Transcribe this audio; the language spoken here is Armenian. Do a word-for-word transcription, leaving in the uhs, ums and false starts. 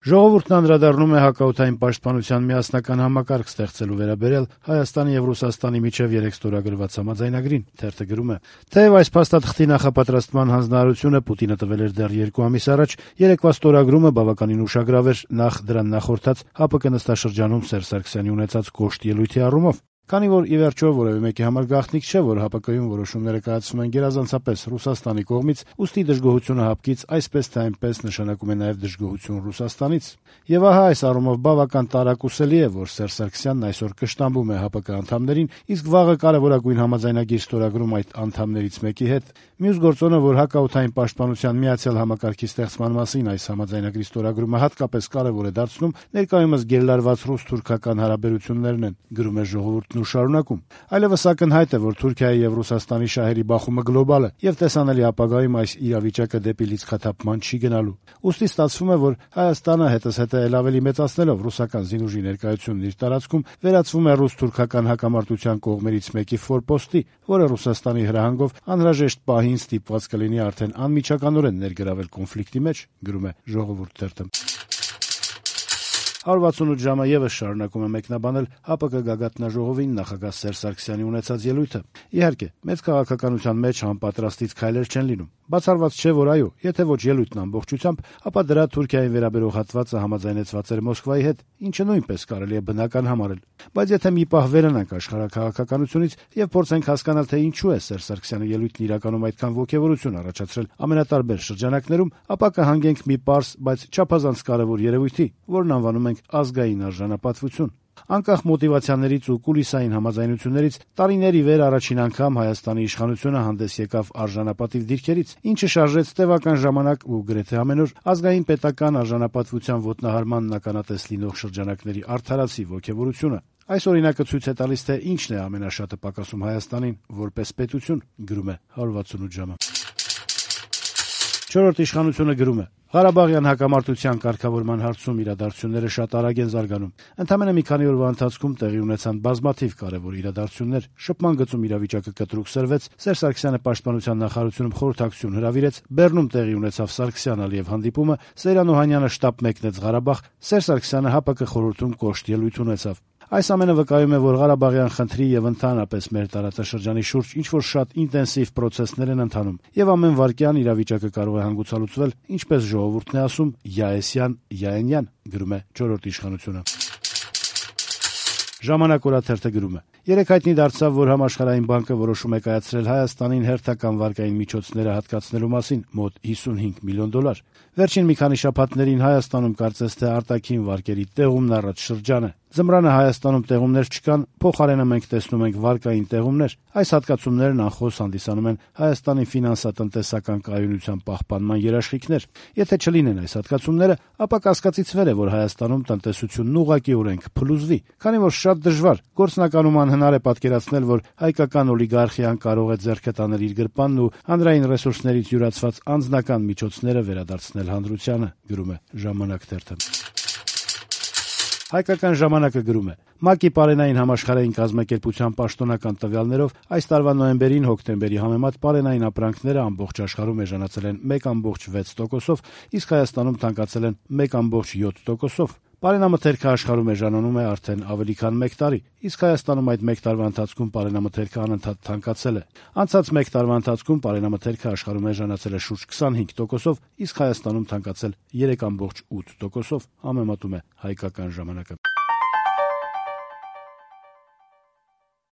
Ժողովուրդն անդրադառնում է հակաօդային պաշտպանության միասնական համակարգ ստեղծելու վերաբերյալ Հայաստանի եւ Ռուսաստանի միջեւ երեկ ստորագրված համաձայնագրին. թերթը գրում է. «Թեև այս փաստաթղթի նախապատրաստման հանձնարարությունը Պուտինը տվել էր դեռ երկու ամիս առաջ, երեկվա ստորագրումը բավականին ուշագրավ էր նախ դրան նախորդած ՀԱՊԿ նստաշրջանում Սերժ Սարգսյանի ունեցած կոշտ ելույթի առումով։ Քանի որ, ի վերջո, որևէ մեկի համար գաղտնիք չէ, որ ՀԱՊԿ-ում որոշումները կայացվում են գերազանցապես Ռուսաստանի կողմից, ուստի դժգոհությունը ՀԱՊԿ-ից այսպես թե այնպես նշանակում է նաև դժգոհություն Ռուսաստանից։ Եվ ահա այս առումով բավական տարակուսելի է, որ Սերժ Սարգսյանն այսօր կշտամբում է ՀԱՊԿ անդամներին, իսկ վաղը կարևորագույն համաձայնագիր ստորագրում այդ անդամներից մեկի հետ։ Մյուս գործոնը, որ հակաօդային պաշտպանության միացյալ համակարգի ստեղծման մասին այս համաձայնագրի ստորագրումը հատկապես կարևոր է դարձնում, ներկայումս գերլարված ռուս-թուրքական հարաբերություններն են, գրում է ժողովուրդն ու շարունակում։ Այլևս ակնհայտ է, որ Թուրքիայի եւ Ռուսաստանի շահերի բախումը գլոբալ է եւ տեսանելի ապագայում այս իրավիճակը դեպի լիցքաթափման չի գնալու։ Ուստի ստացվում է, որ Հայաստանը հետզհետե ել ավելի մեծացնելով ռուսական զինուժի ներկայությունն իր տարածքում վերածվում է ռուս-թուրքական հակամարտության կողմերից մեկի ֆորպոստի, որը Ռուսաստանի հրահանգով անհրաժեշտ պահին ստիպված կլինի արդեն անմիջականորեն ներգրավել կոնֆլիկտի մեջ, գրում է Ժողովուրդ թերթը։ հարյուր վաթսունութ ժամը եւս շարունակում է մեկնաբանել ՀԱՊԿ գագաթնաժողովին նախագահ Սերժ Սարգսյանի ունեցած ելույթը։ Իհարկե, մեծ քաղաքականության մեջ անպատրաստից քայլեր չեն լինում։ Բացառված չէ, որ այո, եթե ոչ ելույթն ամբողջությամբ, ապա դրա Թուրքիային վերաբերող հատվածը համաձայնեցված էր Մոսկվայի հետ, ինչը նույնպես կարելի է բնական համարել։ Բայց եթե մի պահ վերանանք աշխարհաքաղաքականությունից եւ փորձենք հասկանալ, թե ինչու է Սերժ Սարգսյանի ելույթն իրականում այդքան ոգևորություն առաջացրել ամենատարբեր շրջանակներում, ապա կհանգենք մի պարզ, բայց չափազանց կարեւոր երևույթի, որն անվանում ենք ազգային արժանապատվություն։ Անկախ մոտիվացիաներից ու կուլիսային համաձայնություններից տարիների վեր առաջին անգամ Հայաստանի իշխանությունը հանդես եկավ արժանապատիվ դիրքերից, ինչը շարժեց տևական ժամանակ ու գրեթե ամենուր ազգային պետական արժանապատվության ոտնահարմանն ականատես լինող շրջանակների արդարացի ոգևորությունը։ Այս օրինակը ցույց է տալիս, թե ինչն է ամենաշատը պակասում Հայաստանին որպես պետություն, գրում է հարյուր վաթսունութ ժամը։ Չորրորդ իշխանությունը գրում է. Ղարաբաղյան հակամարտության կարգավորման հարցում իրադարձությունները շատ արագ են զարգանում։ Ընդամենը մի քանի օրվա ընթացքում տեղի ունեցան բազմաթիվ կարևոր իրադարձություններ, շփման գծում իրավիճակը կտրուկ սրվեց, Սերժ Սարգսյանը պաշտպանության նախարարությունում խորհրդակցություն հրավիրեց, Բեռնում տեղի ունեցավ Սարգսյան-Ալիև հանդիպումը, Սեյրան Օհանյանը շտապ մեկնեց Ղարաբաղ, Սերժ Սարգսյանը ՀԱՊԿ խորհրդում կոշտ ելույթ ունեցավ։ Այս ամենը վկայում է, որ Ղարաբաղյան խնդրի եւ ընդհանրապես մեր տարածաշրջանի շուրջ ինչ-որ շատ ինտենսիվ պրոցեսներ են ընթանում, եւ ամեն վայրկյան իրավիճակը կարող է հանգուցալուծվել, ինչպես ժողովուրդն է ասում, յաեսյան, յաենյան, գրում է չորրորդ իշխանությունը։ Ժամանակ օրաթերթը գրում է. Երեկ հայտնի դարձավ, որ Համաշխարհային բանկը որոշում է կայացրել Հայաստանին հերթական վարկային միջոցները հատկացնելու մասին մոտ հիսունհինգ միլիոն դոլար։ Վերջին մի քանի շաբաթներին Հայաստանում կարծես թե արտաքին վարկերի տեղումն առաջ շրջան է։ Ձմռանը Հայաստանում տեղումներ չկան, փոխարենը մենք տեսնում ենք վարկային տեղումներ։ Այս հատկացումներն անխոս հանդիսանում են Հայաստանի ֆինանսատնտեսական կայունության պահպանման երաշխիքներ։ Եթե չլինեն այս հատկացումները, ապա կասկածից վեր է, որ Հայաստանում տնտեսությունն ուղղակիորեն կփլուզվի, քանի որ շատ դժվար, գործնականում անհնար է պատկերացնել, որ հայկական օլիգարխիան կարող է ձեռքը տանել իր գրպանն ու հանրային ռեսուրսներից յուրացված անձնական միջոցները վերադարձնել հանրությանը, գրում է Ժամանակ թերթը։ Հայկական ժամանակը գրում է. ՄԱԿ-ի պարենային համաշխարհային կազմակերպության պաշտոնական տվյալներով այս տարվա նոյեմբերին հոկտեմբերի համեմատ պարենային ապրանքները ամբողջ աշխարհում էժանացել են մեկ կόμ վեց տոկոսով, իսկ Հայաստանում թանկացել են մեկ կόμ յոթ տոկոսով։ Պարենամթերքը աշխարհում էժանանում է արդեն ավելի քան մեկ տարի, իսկ Հայաստանում այդ մեկ տարվա ընթացքում պարենամթերքը անընդհատ թանկացել է։ Անցած մեկ տարվա ընթացքում պարենամթերքը աշխարհում էժանացել է շուրջ քսանհինգ տոկոսով, իսկ Հայաստանում թանկացել երեք կόμ ութ տոկոսով, համեմատում է Հայկական ժամանակը։